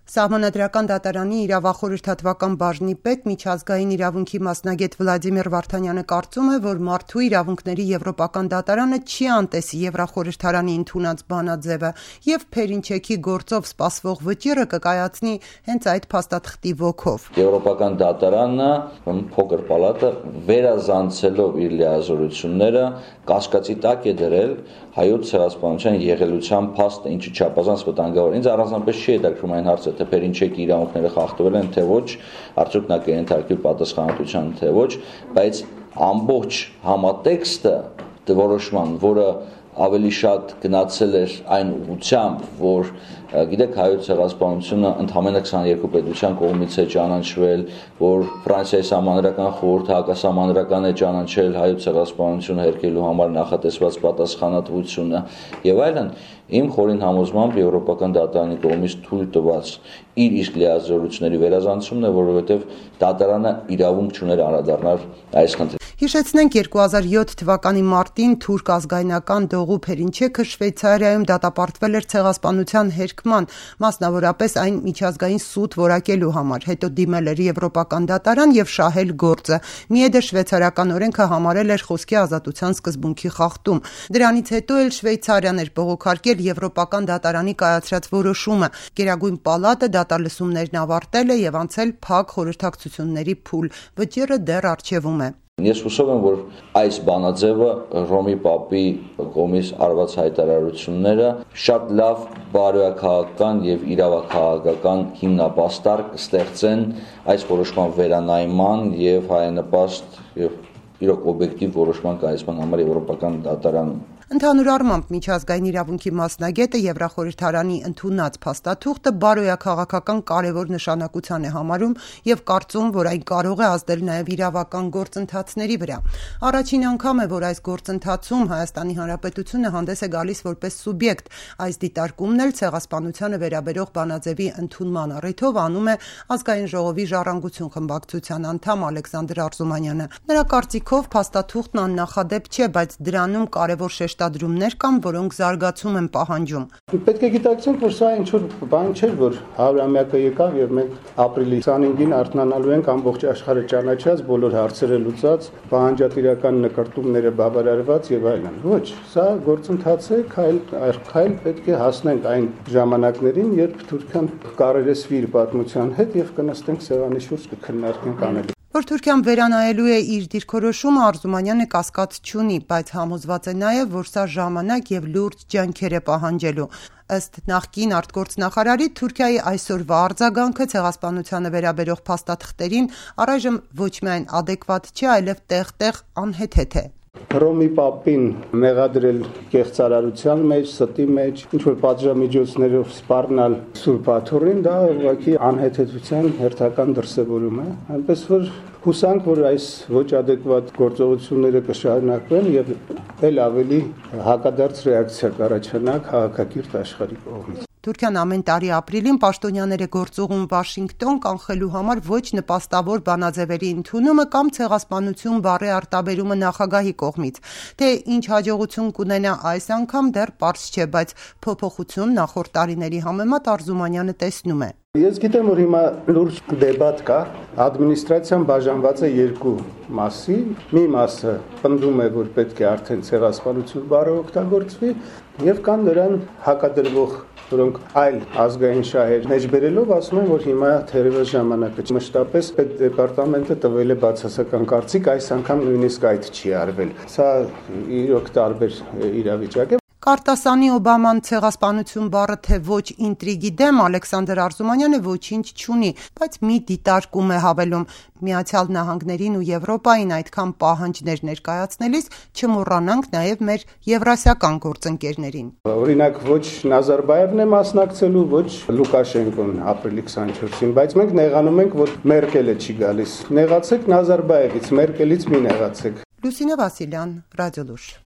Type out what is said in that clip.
Սահմանադրական դատարանի իրավախորհրդատվական բաժնի պետ միջազգային իրավունքի մասնագետ Վլադիմիր Վարդանյանը կարծում է, որ մարդու իրավունքների եվրոպական դատարանը չի անտեսի Եվրախորհրդարանի ընդունած բանաձևը եւ Փերինչեքի գործով սպասվող վճիռը կկայացնի հենց այդ փաստաթղթի ոգով։ Եվրոպական դատարանը փոքր պալատը վերազանցելով իր լիազորությունները կասկածի տակ է դրել հայոց ցեղասպանության եղելության փաստը, ինչը չափազանց վտանգավոր։ Ինձ առանձնապես չի հետաքրքրում այն հարցը, թե Փերինչեկի իրավունքները խախտվել են, թե ոչ, արդյոք նա կենթարկվի պատասխանատվության, թե ոչ, բայց ամբողջ համատեքստը որոշման, որը ավելի շատ գնացել էր այն ուղղությամբ, որ գիտեք հայոց ցեղասպանությունը ընդամենը 22 պետության կողմից է ճանաչվել, որ Ֆրանսիայի սահմանադրական խորհուրդը հակասահմանադրական է ճանաչել հայոց ցեղասպանությունը հերքելու համար նախատեսված պատասխանատվությունը եւ այլն, իմ խորին համոզմամբ Եվրոպական դատարանի կողմից թույլ տված իր իսկ լիազորությունների վերազանցումն է, որովհետեւ դատարանը իրավունք չուներ անդրադառնալ այս խնդրին։ Հիշեցնենք 2007 թվականի մարտին թուրք ազգայնական Դողու Փերինչեքը Շվեյցարիայում դատապարտվել էր ցեղասպանության հերքման, մասնավորապես այն միջազգային սուտ որակելու համար, հետո դիմել էր Եվրոպական դատարան եւ շահել գործը։ Միեդը շվեյցարական օրենքը համարել էր խոսքի ազատության սկզբունքի խախտում։ Դրանից հետո էլ Շվեյցարիան էր բողոքարկել Եվրոպական դատարանի կայացրած որոշումը։ Գերագույն պալատը դատալսումներն ավարտել է եւ անցել փակ խորհրդակցությունների փուլ։ Վճիռը դեռ առջևում է։ Ես հուսով եմ, որ այս բանաձևը Ռոմի Պապի կողմից արված հայտարարությունները շատ լավ բարոյաքաղաքական եւ իրավաքաղաքական հիմնապաստառ կստեղծեն այս որոշման վերանայման եւ հայանպաստ եւ իրոք օբյեկտիվ որոշման կայացման համար Եվրոպական դատարանում։ Ընդհանուր առմամբ միջազգային իրավունքի մասնագետը Եվրախորհրդարանի ընդունած փաստաթուղթը բարոյաքաղաքական կարևոր նշանակության է համարում եւ կարծում, որ այն կարող է ազդել նաեւ իրավական գործընթացների վրա։ Առաջին անգամ է, որ այս գործընթացում Հայաստանի Հանրապետությունը հանդես է գալիս որպես սուբյեկտ։ Այս դիտարկումն էլ ցեղասպանությանը վերաբերող բանաձևի ընդունման առիթով անում է Ազգային ժողովի ժառանգություն խմբակցության անդամ Ալեքսանդր Արզումանյանը։ Նրա կարծիքով փաստաթուղթն աննախադեպ չէ, բայց դրանում կարևոր շեշտադրումներ կան, որոնք զարգացում են պահանջում։ Պետք է գիտակցենք, որ սա ինչ-որ բան չէ, որ 100-ամյակը եկավ եւ մենք ապրիլի 25-ին արթնանալու ենք ամբողջ աշխարհը ճանաչած, բոլոր հարցերը լուծած, պահանջատիրական նկարտումները բավարարված եւ այլն։ Ոչ, սա գործընթաց է, քայլ պետք է հասնենք այն ժամանակներին, երբ Թուրքիան կարերեսվի իր պատմության հետ եւ կնստենք սեղանի շուրջ կքննարկենք անելու։ Որ Թուրքիան վերանայելու է իր դիրքորոշումը, Արզումանյանը կասկած չունի, բայց համոզված է նաև, որ սա ժամանակ եւ լուրջ ջանքեր է պահանջելու։ Ըստ նախկին արտգործնախարարի, Թուրքիայի այսօրվա արձագանքը ցեղասպանությանը վերաբերող փաստաթղթերին առայժմ ոչ միայն ադեկվատ չէ, այլև տեղ-տեղ անհեթեթ է։ Ռոմի Պապին մեղադրել կեղծարարության մեջ, ստի մեջ, ինչ-որ պատժամիջոցներով սպառնալ Սուրբ Աթոռին, դա ուղղակի անհեթեթության հերթական դրսևորում է, այնպես որ հուսանք, որ այս ոչ ադեկվատ գործողությունները կշարունակվեն եւ էլ ավելի հակադարձ ռեակցիա կառաջանա քաղաքակիրթ աշխարհի կողմից։ Թուրքիան ամեն տարի ապրիլին պաշտոնյաներ է գործուղում Վաշինգտոն կանխելու համար ոչ նպաստավոր բանաձևերի ընդունումը կամ ցեղասպանություն բառի արտաբերումը նախագահի կողմից։ Թե ինչ հաջողություն կունենա այս անգամ դեռ պարզ չէ, բայց փոփոխություն նախորդ տարիների համեմատ Արզումանյանը տեսնում է։ Ես գիտեմ, որ հիմա լուրջ դեբատ կա, ադմինիստրացիան բաժանված է երկու մասի, մի մասը պնդում է, որ պետք է արդեն ցեղասպանություն բառը օգտագործվի, եւ կան նրան հակադրվող, որոնք այլ ազգային շահեր մեջբերելով ասում են, որ հիմա թերևս ժամանակը չէ։ Մշտապես պետդեպարտամենտը տվել է բացասական կարծիք, այս անգամ նույնիսկ այդ չի արվել։ Սա իրոք տարբեր իրավիճակ է։ Կարտասանի Օբաման ցեղասպանություն բառը թե ոչ ինտրիգի դեմ Ալեքսանդր Արզումանյանը ոչինչ չունի, բայց մի դիտարկում է հավելում. Միացյալ Նահանգներին ու Եվրոպային այդքան պահանջներ ներկայացնելիս չմոռանանք նաև մեր եվրասիական գործընկերներին։ Օրինակ ոչ Նազարբաևն է մասնակցելու, ոչ Լուկաշենկոն ապրիլի 24-ին, բայց մենք նեղանում ենք, որ Մերկելը չի գալիս։ Նեղացեք Նազարբաևից, Մերկելից մի նեղացեք։ Լուսինե Վասիլյան, Ռադիոլուր։